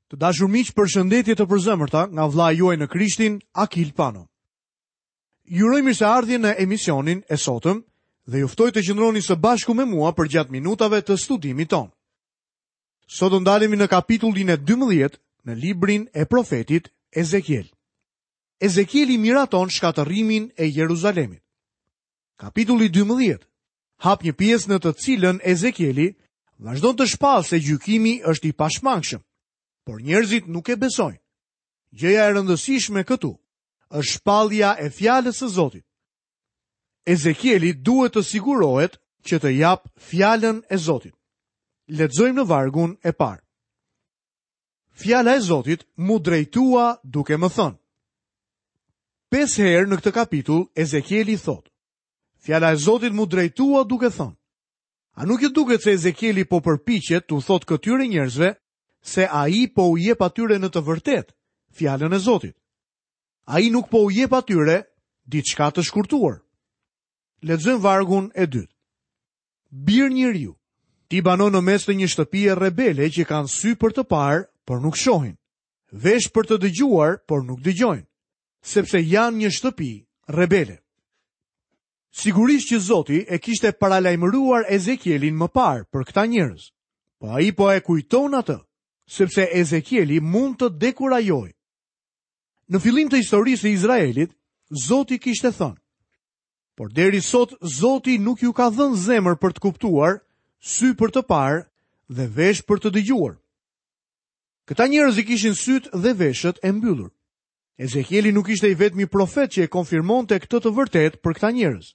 Të dashur miq, përshëndetje të përzemërta nga vëllai juaj në Krishtin, Akil Pano. Ju uroj mirëseardhje në emisionin e sotëm dhe ju ftoj të qëndroni së bashku me mua përgjatë minutave të studimit tonë. Sot do ndalemi në kapitullin e 12 në librin e profetit Ezekiel. Ezekieli miraton shkatërrimin e Jeruzalemit. Kapitulli 12 hap një pjesë në të cilën Ezekieli vazhdon të shpallë se gjykimi është i pashmangshëm, por njerëzit nuk e besojnë. Gjëja e rëndësishme këtu është shpallja e fjalës së Zotit. Ezekieli duhet të sigurohet që të japë fjalën e Zotit. Lexojmë në vargun e parë. Fjala e Zotit m'u drejtua duke më thënë. Pesë herë në këtë kapitull Ezekieli thotë: Fjala e Zotit m'u drejtua duke thënë. A nuk ju duket se Ezekieli po përpiqet t'u thotë këtyre njerëzve se ai po u jep atyre në të vërtetë fjalën e Zotit? Ai nuk po u jep atyre diçka të shkurtuar. Lexojmë vargun e dytë. Bir njeriu, ti banon në mes të një shtëpie rebele që kanë sy për të parë, por nuk shohin, veshë për të dëgjuar, por nuk dëgjojnë. sepse janë një shtëpi rebele. Sigurisht që Zoti e kishte paralajmëruar Ezekielin më parë për këta njerëz. Po ai po e kujton atë, sepse Ezekieli mund të dekurajohej. Në fillim të historisë së Izraelit, Zoti kishte thënë: Por deri sot Zoti nuk ju ka dhënë zemër për të kuptuar, sy për të parë dhe veshë për të dëgjuar. Këta njerëz i kishin sytë dhe veshët e mbyllur. Ezekieli nuk ishte i vetmi profet që e konfirmonte këtë të vërtetë për këta njerëz.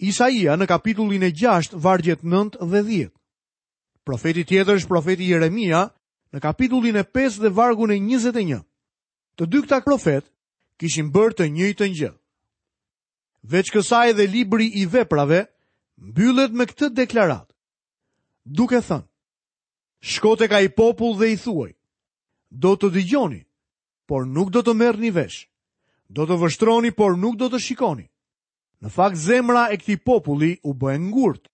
Isaia në kapitullin e 6, vargjet 9 dhe 10. Profeti tjetër është profeti Jeremia në kapitullin e 5 dhe vargun e 21. Të dy këta profetë kishin bërë të njëjtën gjë. Veç kësaj dhe libri i veprave mbyllet me këtë deklaratë. Duke thënë, Shko tek ai popull dhe i thuaj, do të dëgjoni, por nuk do të merrni vesh. Do të vështroni, por nuk do të shikoni. Në fakt zemra e këtij populli u bë e ngurtë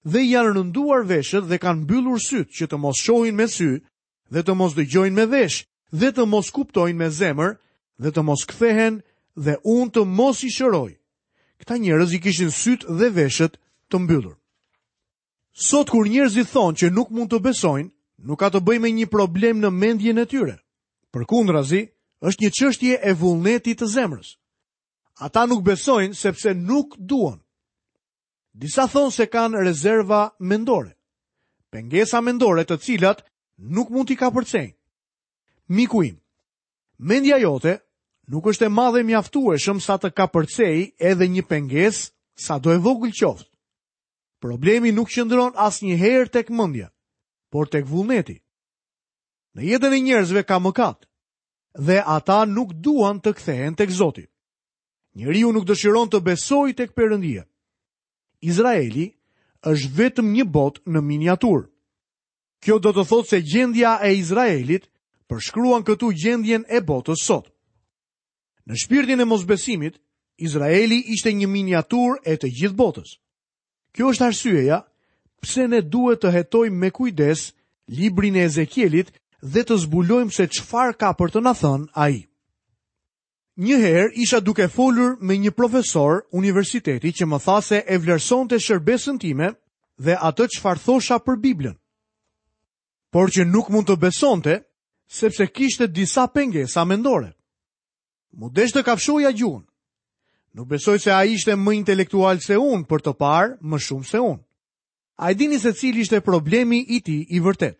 dhe i janë rënduar veshët dhe kanë mbyllur sytë që të mos shohin me sy dhe të mos dëgjojnë me vesh dhe të mos kuptojnë me zemër dhe të mos kthehen dhe unë të mos i shëroj. Këta njerëz i kishin sytë dhe veshët të mbyllur. Sot kur njerëzit thonë që nuk mund të besojnë, nuk ka të bëjë me një problem në mendjen e tyre. Përkundrazi, është një çështje e vullnetit të zemrës. Ata nuk besojnë sepse nuk duan. Disa thonë se kanë rezerva mendore, pengesa mendore të cilat nuk mund t'i kapërcejnë. Miku im, mendja jote nuk është e madhe mjaftueshëm sa të kapërcejë edhe një pengesë sado e vogël qoftë. Problemi nuk qëndron asnjëherë tek mendja, por tek vullneti. Në jetën e njerëzve ka mëkat dhe ata nuk duan të kthehen tek Zoti. Njeriu nuk dëshiron të besojë tek Perëndia. Izraeli është vetëm një botë në miniaturë. Kjo do të thotë se gjendja e Izraelit përshkruan këtu gjendjen e botës sot. Në shpirtin e mosbesimit, Izraeli ishte një miniaturë e të gjithë botës. Kjo është arsyeja pse ne duhet të hetojmë me kujdes librin e Ezekielit dhe të zbulojmë se çfarë ka për të na thënë ai. Një herë isha duke folur me një profesor universiteti që më tha se e vlerësonte shërbesën time dhe atë çfarë thosha për Biblën. Por që nuk mund të besonte sepse kishte disa pengesa mendore. M'u desh të kafshoja gjuhën. Nuk besoj se ai ishte më intelektual se unë për të parë më shumë se unë. A e dini se cili ishte problemi i tij i vërtetë?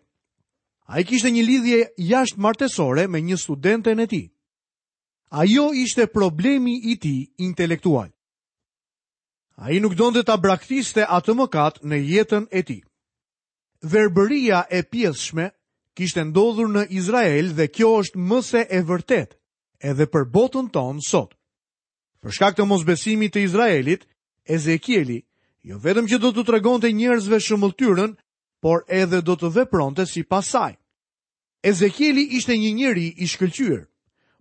Ai kishte një lidhje jashtëmartesore me një studenten e tij. Ajo ishte problemi i tij intelektual. Ai nuk donte ta braktiste atë mëkat në jetën e tij. Verbëria e pjesshme kishte ndodhur në Izrael dhe kjo është më se e vërtetë edhe për botën tonë sot. Për shkak të mosbesimit të Izraelit, Ezekieli jo vetëm që do t'u tregonte njerëzve shëmbëlltyrën, por edhe do të vepronte sipas saj. Ezekieli ishte një njeri i shkëlqyer,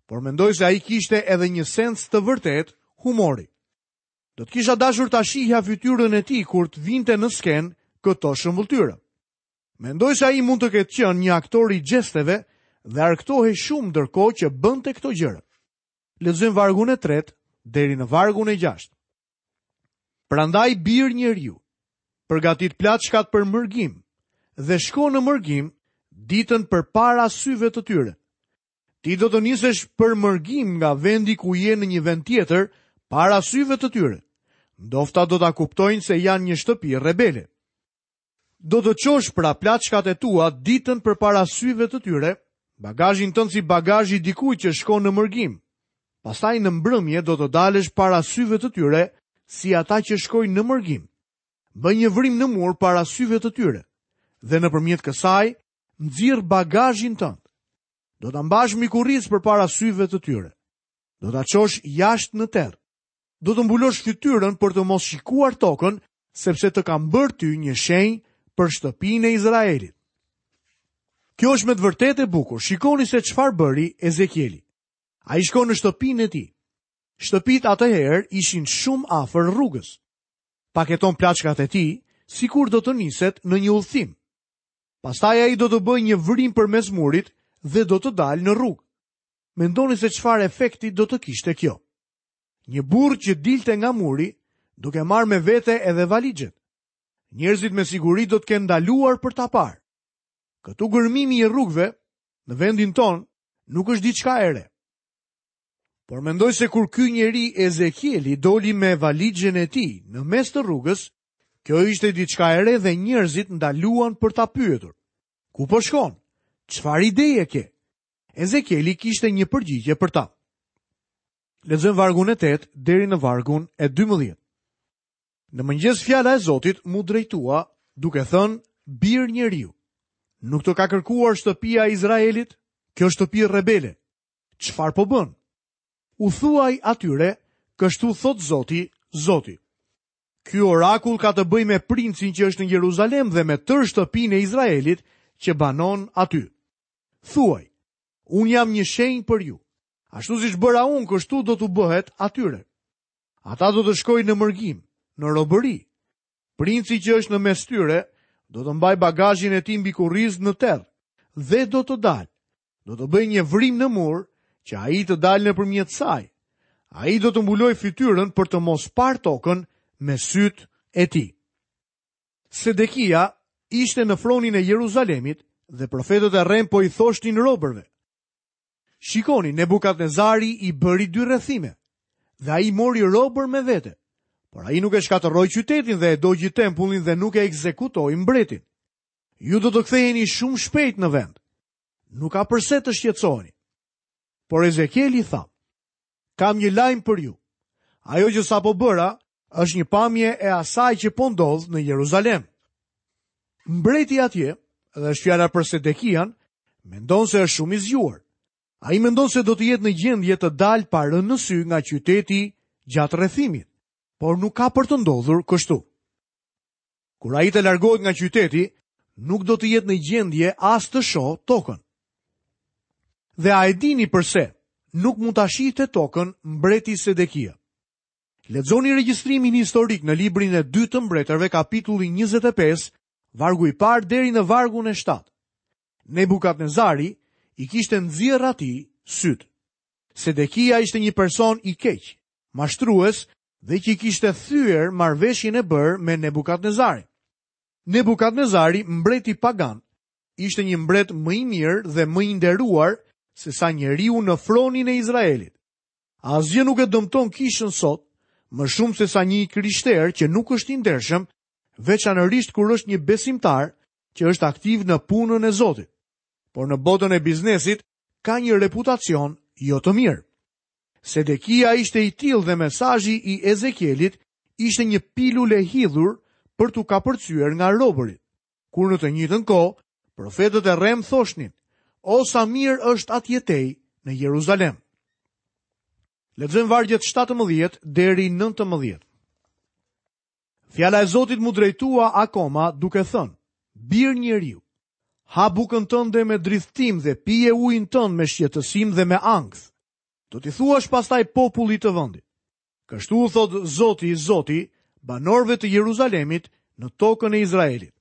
por mendoj se ai kishte edhe një sens të vërtetë humori. Do të kisha dashur ta shihja fytyrën e tij kur të vinte në skenë këto shëmbëlltyra. Mendoj se ai mund të ketë qenë një aktor i gjesteve dhe argëtohej shumë ndërkohë që bënte këto gjëra. Lexojmë vargun e tretë deri në vargun e gjashtë. Prandaj bir njeriu, përgatit plaçkat për mërgim dhe shko në mërgim ditën përpara syve të tyre. Ti do të nisesh për mërgim nga vendi ku je në një vend tjetër para syve të tyre. Ndofta do ta kuptojnë se janë një shtëpi rebele. Do të çosh pra plaçkat e tua ditën përpara syve të tyre, bagazhin tënd si bagazhi i dikujt që shkon në mërgim. Pastaj në mbrëmje do të dalësh para syve të tyre si ata që shkojnë në mërgim. Bëj një vrimë në mur para syve të tyre dhe nëpërmjet kësaj nxirr bagazhin tënd. Do ta mbash mbi kurriz përpara syve të tyre. Do ta çosh jashtë në terr. Do të mbulosh fytyrën për të mos shikuar tokën, sepse të kam bërë ty një shenjë për shtëpinë e Izraelit. Kjo është me të vërtetë e bukur. Shikoni se çfarë bëri Ezekieli. Ai shkon në shtëpinë e tij. Shtëpitë atëherë ishin shumë afër rrugës. Paketon plaçkat e tij, sikur do të niset në një udhëtim. Pastaj ai do të bëjë një vrimë përmes murit dhe do të dalë në rrugë. Mendoni se çfarë efekti do të kishte kjo. Një burrë që dilte nga muri, duke marrë me vete edhe valixhet. Njerëzit me siguri do të kenë ndaluar për ta parë. Këtu gërmimi i rrugëve në vendin tonë nuk është diçka e re. Por mendoj se kur ky njeri Ezekieli doli me valixhen e tij në mes të rrugës, kjo ishte diçka e re dhe njerëzit ndaluan për ta pyetur. Ku po shkon? Çfarë ideje ke? Ezekieli kishte një përgjigje për ta. Lexojmë vargun e 8 deri në vargun e 12. Në mëngjes fjala e Zotit m'u drejtua duke thënë bir njeriu. Nuk të ka kërkuar shtëpia e Izraelit? Kjo shtëpi rebele. Çfarë po bën? U thuaj atyre, kështu thotë Zoti, Zoti. Ky orakull ka të bëjë me princin që është në Jeruzalem dhe me tërë shtëpinë e Izraelit që banon aty. Thuaj, unë jam një shenjë për ju. Ashtu siç bëra unë, kështu do t'u bëhet atyre. Ata do të shkojnë në mërgim, në robëri. Princi që është në mes tyre, do të mbajë bagazhin e tij mbi kurriz në terr dhe do të dalë. Do të bëjë një vrimë në mur që ai të dalë nëpërmjet saj. Ai do të mbulojë fytyrën për të mos parë tokën me sytë e tij. Sedekia ishte në fronin e Jeruzalemit dhe profetët e rremë po i thoshnin robërve. Shikoni, Nebukadnezari i bëri dy rrethime dhe ai mori robër me vete. Por ai nuk e shkatërroi qytetin dhe e dogji tempullin dhe nuk e ekzekutoi mbretin. Ju do të ktheheni shumë shpejt në vend. Nuk ka përse të shqetësoheni. Por Ezekieli tha, kam një lajm për ju. Ajo që sapo bëra është një pamje e asaj që po ndodh në Jeruzalem. Mbreti atje, dhe është fjala për Sedekian, mendon se është shumë i zgjuar. Ai mendon se do të jetë në gjendje të dalë pa rënë në sy nga qyteti gjatë rrethimit, por nuk ka për të ndodhur kështu. Kur ai të largohet nga qyteti, nuk do të jetë në gjendje as të shohë tokën. Dhe a e dini përse nuk mund ta shihte tokën mbreti Sedekia? Lexoni regjistrimin historik në librin e dytë të mbretërve kapitulli 25, vargu i parë deri në vargun e 7. Nebukadnezari i kishte nxjerrë atij sytë. Sedekia ishte një person i keq, mashtrues dhe që i kishte thyer marrëveshjen e bërë me Nebukadnezarin. Nebukadnezari, mbreti pagan, ishte një mbret më i mirë dhe më i nderuar sesa njeriu në fronin e Izraelit. Asgjë nuk e dëmton kishën sot më shumë sesa një i krishterë që nuk është i ndershëm, veçanërisht kur është një besimtar që është aktiv në punën e Zotit. Por në botën e biznesit ka një reputacion jo të mirë. Sedekia ishte i tillë dhe mesazhi i Ezekielit ishte një pilulë e hidhur për t'u kapërcyer nga robërit. Kur në të njëjtën kohë, profetët e rremë thoshnin, o sa mirë është atje tej në Jeruzalem. Lexojmë vargjet 17 deri 19. Fjala e Zotit m'u drejtua akoma duke thënë, bir njeriu, ha bukën tënde me dridhtim dhe pije ujin tënd me shqetësim dhe me ankth. Do t'i thuash pastaj popullit të vendit. Kështu u thotë Zoti, Zoti, banorëve të Jeruzalemit në tokën e Izraelit.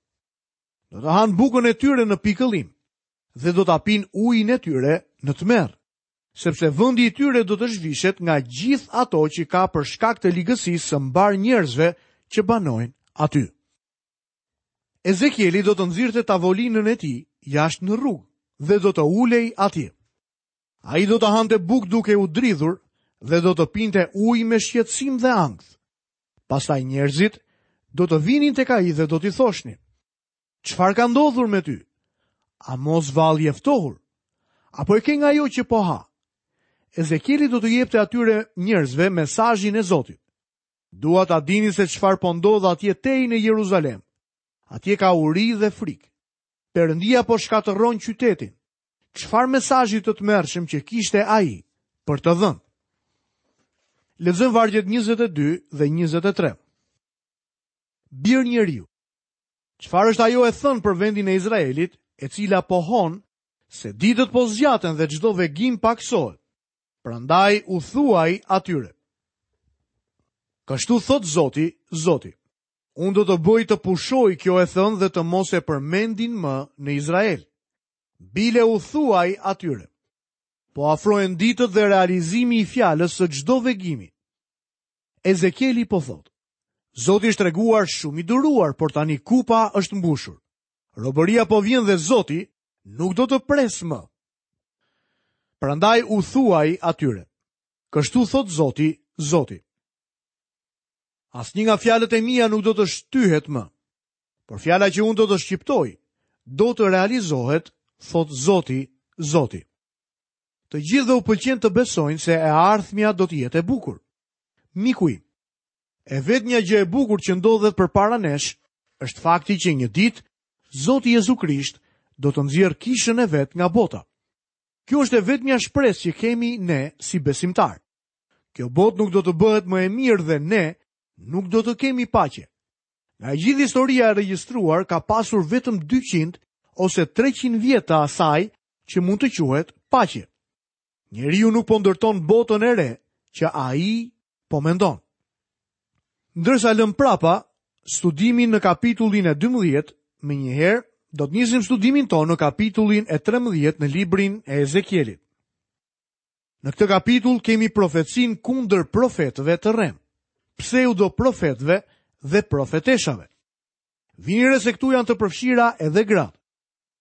Do të hanë bukën e tyre në pikëllim. dhe do ta pinë ujin e tyre në tmerr, sepse vendi i tyre do të zhvishet nga gjithë ato që ka për shkak të ligësisë së mbarë njerëzve që banojnë aty. Ezekieli do të nxirrte tavolinën e tij jashtë në rrugë dhe do të ulej atje. Ai do të hante bukë duke u dridhur dhe do të pinte ujë me shqetësim dhe ankth. Pastaj njerëzit do të vinin tek ai dhe do t'i thoshnin: Çfarë ka ndodhur me ty? A mos vallë je ftohur? Apo e ke nga ajo që po ha? Ezekieli do t'u jepte atyre njerëzve mesazhin e Zotit. Dua ta dini se çfarë po ndodh atje tej në Jeruzalem. Atje ka uri dhe frikë. Perëndia po shkatërron qytetin. Çfarë mesazhi të tmerrshëm që kishte ai për të dhënë. Lexojmë vargjet 22 dhe 23. Bir njeriu. Çfarë është ajo e thënë për vendin e Izraelit, e cila pohon se ditët po zgjaten dhe çdo vegim pakësohet. Prandaj u thuaj atyre. Kështu thotë Zoti, Zoti. Unë do të bëj të pushojë kjo e thënë dhe të mos e përmendin më në Izrael. Bile u thuaj atyre. Po afrohen ditët dhe realizimi i fjalës së çdo vegimi. Ezekieli po thotë. Zoti është treguar shumë i duruar, por tani kupa është mbushur. Robëria po vjen dhe Zoti nuk do të presë më. Prandaj u thuaj atyre. Kështu thotë Zoti, Zoti. Asnjë nga fjalët e mia nuk do të shtyhet më. Por fjala që unë do të shqiptoj, do të realizohet, thotë Zoti, Zoti. Të gjithëve u pëlqen të besojnë se e ardhmja do të jetë e bukur. Miku im, e vetmja gjë e bukur që ndodhet përpara nesh është fakti që një ditë Zoti Jezu Krisht do të nxjerrë kishën e vet nga bota. Kjo është e vetmja shpresë që kemi ne si besimtarë. Kjo botë nuk do të bëhet më e mirë dhe ne nuk do të kemi paqe. Nga e gjithë historia e regjistruar ka pasur vetëm 200 ose 300 vjet të asaj që mund të quhet paqe. Njeriu nuk po ndërton botën e re që ai po mendon. Ndërsa lëmë prapa studimin në kapitullin e 12, menjëherë do të nisim studimin tonë në kapitullin e 13 në librin e Ezekielit. Në këtë kapitull kemi profecinë kundër profetëve të rremë, pseudoprofetëve dhe profeteshave. Vini re se këtu janë të përfshira edhe gratë.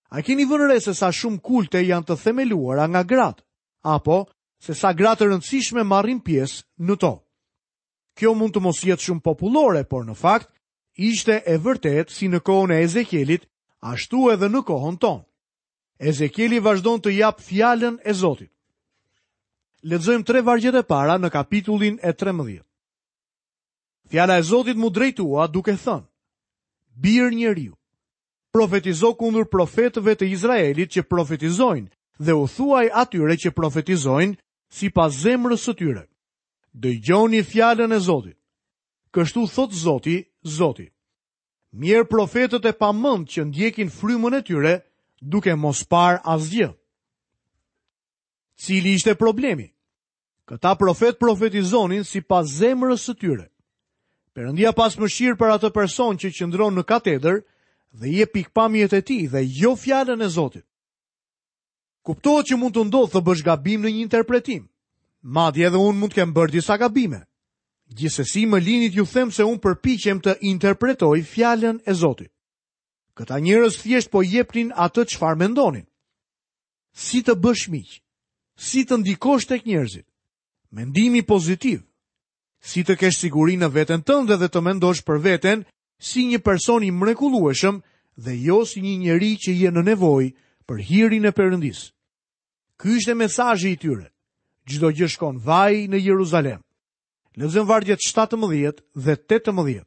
A keni vënë re se sa shumë kulte janë të themeluara nga gratë, apo se sa gra të rëndësishme marrin pjesë në to? Kjo mund të mos jetë shumë popullore, por në fakt ishte e vërtetë si në kohën e Ezekielit, ashtu edhe në kohën tonë. Ezekieli vazhdon të japë fjalën e Zotit. Lexojmë tre vargjet e para në kapitullin e 13. Fjala e Zotit m'u drejtua duke thënë: Bir njeriu, profetizo kundër profetëve të Izraelit që profetizojnë dhe u thuaj atyre që profetizojnë sipas zemrës së tyre. Dëgjoni fjalën e Zotit. Kështu thotë Zoti, Zoti. Mjerë profetët e pamend që ndjekin frymën e tyre duke mos parë asgjë. Cili ishte problemi? Këta profetë profetizonin sipas zemrës së tyre. Perëndia pastë mëshirë për atë person që qëndron në katedër dhe jep pikëpamjet e tij dhe jo fjalën e Zotit. Kuptohet që mund të ndodhë të bësh gabim në një interpretim. Madje edhe unë mund të kem bërë disa gabime. Gjithsesi më lini t'ju them se unë përpiqem të interpretoj fjalën e Zotit. Këta njerëz thjesht po jepnin atë çfarë mendonin. Si të bësh miq? Si të ndikosh tek njerëzit? Mendimi pozitiv. Si të kesh siguri në veten tënde dhe të mendosh për veten si një person i mrekullueshëm dhe jo si një njeri që je në nevojë për hirin e Perëndisë. Ky ishte mesazhi i tyre. Çdo gjë shkon vaj në Jeruzalem. Lexojmë vargjet 17 dhe 18.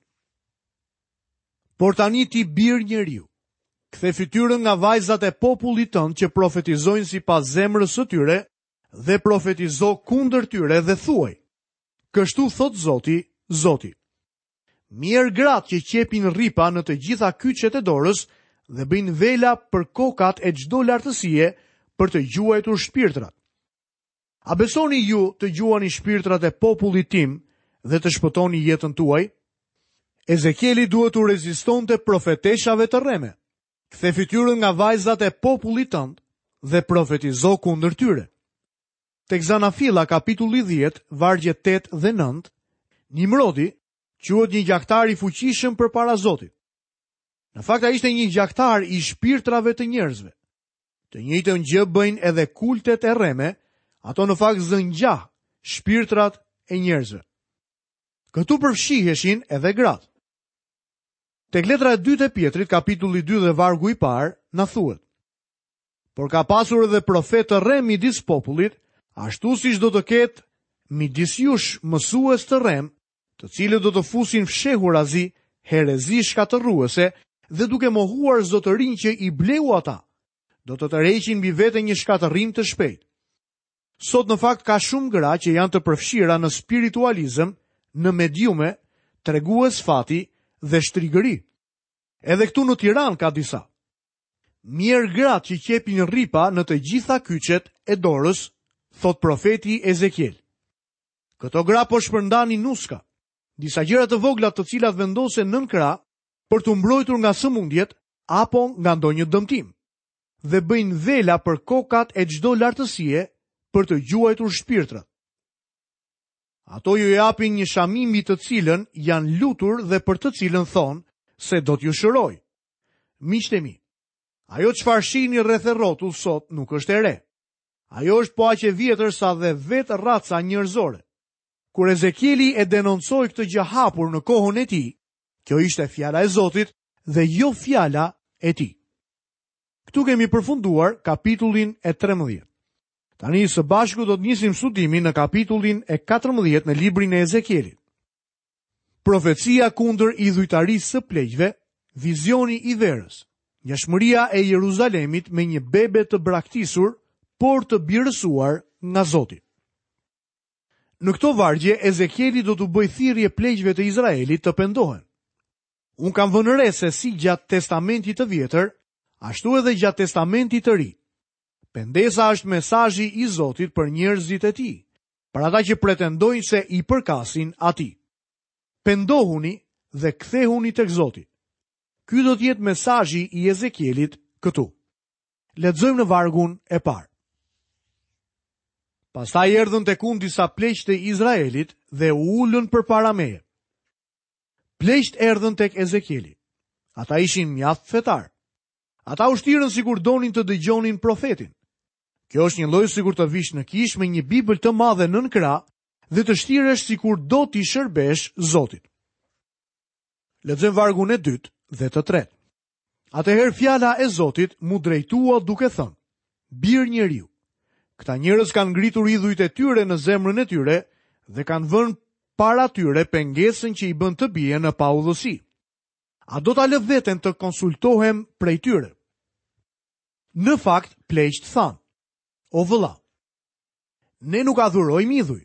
Por tani ti bir njeriu, kthe fytyrën nga vajzat e popullit tënd që profetizojnë sipas zemrës së tyre dhe profetizo kundër tyre dhe thuaj. Kështu thotë Zoti, Zoti. Mjerë gratë që qepin rripa në të gjitha kyçet e dorës dhe bëjnë vela për kokat e çdo lartësie për të gjuajtur shpirtrat. A besoni ju të gjuani shpirtrat e popullit tim dhe të shpëtoni jetën tuaj? Ezekieli duhet t'u rezistonte profeteshave të rreme. Kthe fytyrën nga vajzat e popullit tënd. dhe profetizo kundër tyre. Tek Zanafilla kapitulli 10, vargjet 8 dhe 9, Nimrodi quhet një gjaktar i fuqishëm përpara Zotit. Në fakt ai ishte një gjaktar i shpirtrave të njerëzve. Të njëjtën gjë bëjnë edhe kultet e rreme, ato në fakt zënë gjah shpirtrat e njerëzve. Këtu përfshiheshin edhe gratë. Tek letra e dytë e Pjetrit, kapitulli 2 dhe vargu i parë, na thuhet: Por ka pasur edhe profetë të rremë midis popullit, ashtu siç do të ketë midis jush mësues të rremë, të cilët do të fusin fshehurazi herezi shkatërruese dhe duke mohuar zotërinë që i bleu ata, do të tërheqin mbi vete një shkatërrim të shpejtë. Sot në fakt ka shumë gra që janë të përfshira në spiritualizëm, në mediume, tregues fati dhe shtrigëri. Edhe këtu në Tiranë ka disa. Mjerë gratë që qepin rripa në të gjitha kyçet e dorës, thotë profeti Ezekiel. Këto gra po shpërndanin nuska, disa gjëra të vogla të cilat vendosen nën krah për t'u mbrojtur nga sëmundjet apo nga ndonjë dëmtim dhe bëjnë vela për kokat e çdo lartësie për të gjuajtur shpirtrat. Ato ju japin një shami mbi të cilën janë lutur dhe për të cilën thonë se do t'ju shërojë. Miqtë e mi, ajo çfarë shihni rreth e rrotull sot nuk është e re. Ajo është po aq e vjetër sa dhe vetë raca njerëzore. Kur Ezekieli e denoncoi këtë gjë hapur në kohën e tij, kjo ishte fjala e Zotit dhe jo fjala e tij. Këtu kemi përfunduar kapitullin e 13. Tani së bashku do të nisim studimin në kapitullin e 14 në librin e Ezekielit. Profecia kundër idhujtarisë së pleqve, vizioni i verës, ngjashmëria e Jeruzalemit me një bebe të braktisur, por të birësuar nga Zoti. Në këto vargje Ezekieli do t'u bëjë thirrje pleqve të Izraelit të pendohen. Unë kam vënë re se si gjatë Testamentit të Vjetër, ashtu edhe gjatë Testamentit të Ri. Pendesa është mesazhi i Zotit për njerëzit e tij, për ata që pretendojnë se i përkasin atij. Pendohuni dhe kthehuni tek Zoti. Ky do të jetë mesazhi i Ezekielit këtu. Lexojmë në vargun e parë. Pastaj erdhën tek unë disa pleq të Izraelit dhe u ulën përpara meje. Pleqtë erdhën tek Ezekieli. Ata ishin mjaft fetarë. Ata u shtirën sikur donin të dëgjonin profetin. Kjo është njëlloj sikur të vish në kishë me një Bibël të madhe nën krah dhe të shtiresh sikur do t'i shërbesh Zotit. Lexojmë vargun e dytë dhe të tretë. Atëherë fjala e Zotit m'u drejtua duke thënë: Bir njeriu, këta njerëz kanë ngritur idhujt e tyre në zemrën e tyre dhe kanë vënë para tyre pengesën që i bën të bien në paudhësi. A do ta lë veten të konsultohem prej tyre? Në fakt, pleqtë thanë, o vëlla, ne nuk adhurojmë idhuj.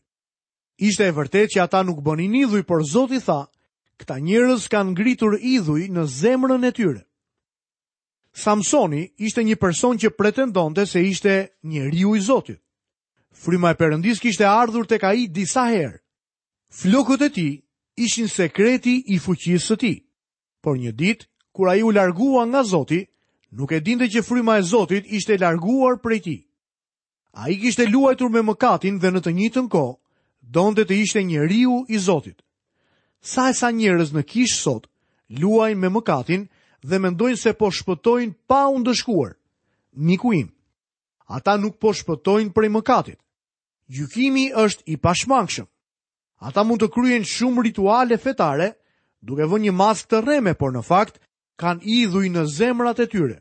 Ishte e vërtetë që ata nuk bënin idhuj, por Zoti tha, këta njerëz kanë ngritur idhuj në zemrën e tyre. Samsoni ishte një person që pretendonte se ishte njeriu i Zotit. Fryma e Perëndisë kishte ardhur tek ai disa herë. Flokët e tij ishin sekreti i fuqisë së tij. Por një ditë, kur ai u largua nga Zoti, nuk e dinte që fryma e Zotit ishte larguar prej tij. Ai kishte luajtur me mëkatin dhe në të njëjtën kohë donte të ishte njeriu i Zotit. Sa e sa njerëz në kishë sot luajnë me mëkatin dhe mendojnë se po shpëtojnë pa u ndëshkuar. Miku im, ata nuk po shpëtojnë prej mëkatit. Gjykimi është i pashmangshëm. Ata mund të kryejnë shumë rituale fetare, duke vënë një maskë të rreme, por në fakt kanë idhuj në zemrat e tyre.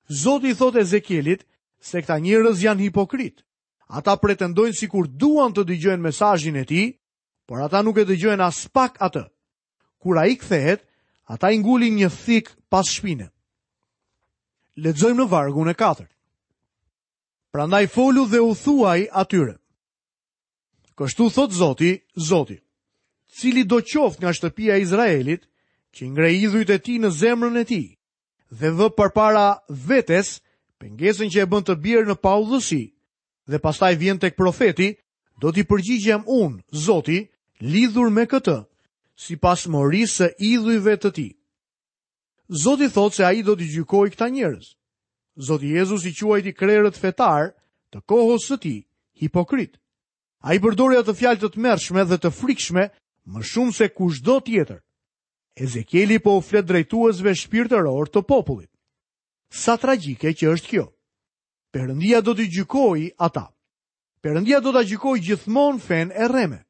Zoti i thotë Ezekielit se këta njerëz janë hipokritë. Ata pretendojnë sikur duan të dëgjojnë mesazhin e tij, por ata nuk e dëgjojnë aspak atë. Kur ai kthehet, ata i ngulin një thikë pas shpine. Lexojmë në vargun e katërt. Prandaj folu dhe u thuaj atyre. Kështu thotë Zoti, Zoti, cilido qoftë nga shtëpia e Izraelit, që ngre idhujt e tij në zemrën e tij dhe vë përpara vetes pengesën që e bën të bjerë në paudhësi dhe pastaj vjen tek profeti, do t'i përgjigjem unë, Zoti, lidhur me këtë, sipas morisë së idhujve të tij. Zoti thotë se ai do t'i gjykojë këta njerëz. Zoti Jezus i quajti krerët fetarë të kohës së tij hipokritë. Ai përdori atë fjalë të tmerrshme dhe të frikshme më shumë se kushdo tjetër. Ezekieli po u flet drejtuesve shpirtërorë të popullit. Sa tragjike që është kjo. Perëndia do t'i gjykojë ata. Perëndia do ta gjykojë gjithmonë fenë e rreme.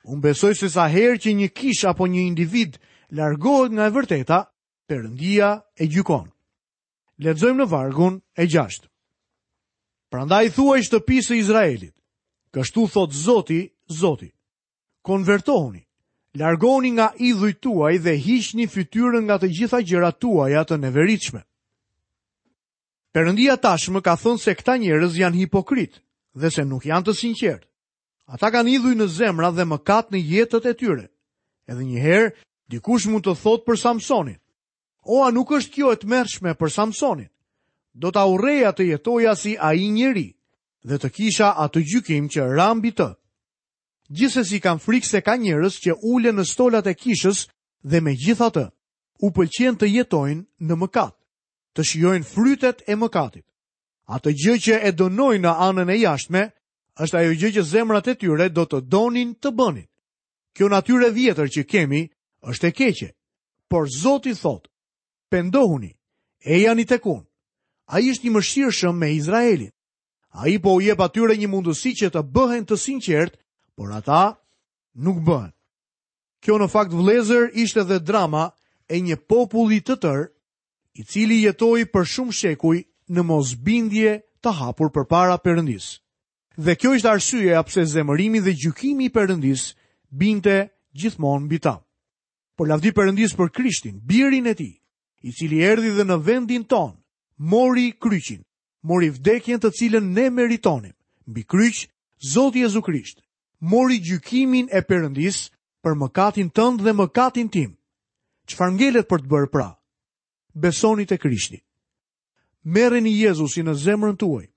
Unë besoj se sa herë që një kishë apo një individ largohet nga e vërteta, Perëndia e gjykon. Lexojmë në vargun e 6. Prandaj thuaj shtëpisë së Izraelit, kështu thotë Zoti, Zoti. Konvertohuni, largohuni nga idhujt tuaj dhe hiqni fytyrën nga të gjitha gjërat tuaja të neveritshme. Perëndia tashmë ka thënë se këta njerëz janë hipokritë dhe se nuk janë të sinqertë. Ata kanë idhuj në zemra dhe mëkat në jetët e tyre. Edhe një herë, dikush mund të thotë për Samsonin. O, a nuk është kjo e tmerrshme për Samsonin? Do ta urreja të jetoja si ai njeri dhe të kisha atë gjykim që ra mbi të. Gjithsesi kam frikë se ka njerëz që ulen në stolat e kishës dhe megjithatë u pëlqen të jetojnë në mëkat, të shijojnë frytet e mëkatit. Atë gjë që e dënojnë në anën e jashtme, është ajo gjë që zemrat e tyre do të donin të bënin. Kjo natyrë e vjetër që kemi është e keqe, por Zoti thotë, pendohuni, ejani tek unë. Ai është i mëshirshëm me Izraelin. Ai po u jep atyre një mundësi që të bëhen të sinqertë, por ata nuk bëhen. Kjo në fakt vëllezër ishte dhe drama e një populli të tërë, i cili jetoi për shumë shekuj në mosbindje të hapur përpara Perëndisë. Dhe kjo ishte arsyeja pse zemërimi dhe gjykimi i Perëndisë binte gjithmonë mbi ta. Por lavdi Perëndisë për Krishtin, birin e tij, i cili erdhi dhe në vendin tonë, mori kryqin, mori vdekjen të cilën ne meritonim. Mbi kryq, Zoti Jezu Krisht mori gjykimin e Perëndisë për mëkatin tënd dhe mëkatin tim. Çfarë ngelet për të bërë pra? Besoni te Krishti. Merreni Jezusin në zemrën tuaj.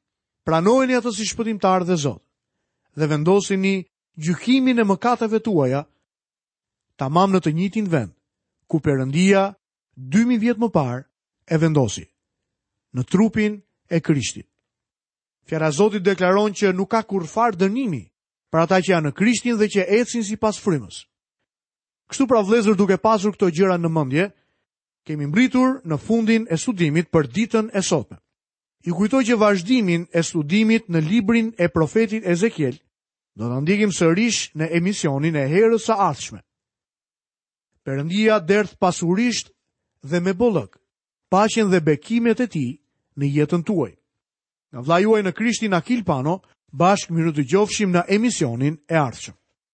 Pranojeni atë si shpëtimtar dhe Zot dhe vendosini gjykimin e mëkateve tuaja tamam në të njëjtin vend ku Perëndia 2000 vjet më parë e vendosi në trupin e Krishtit. Fjala e Zotit deklaron që nuk ka kurrfarë dënimi për ata që janë në Krishtin dhe që ecin sipas frymës. Kështu pra vëllezër duke pasur këto gjëra në mendje, kemi mbërritur në fundin e studimit për ditën e sotme. Ju kujtoj që vazhdimin e studimit në librin e profetit Ezekiel do ta ndjekim sërish në emisionin e herës së ardhshme. Perëndia derdhtë pasurisht dhe me bollëk paqen dhe bekimet e tij në jetën tuaj. Nga vëllai juaj në Krishtin Akil Pano, bashkë mirudëgjofshim në emisionin e ardhshëm.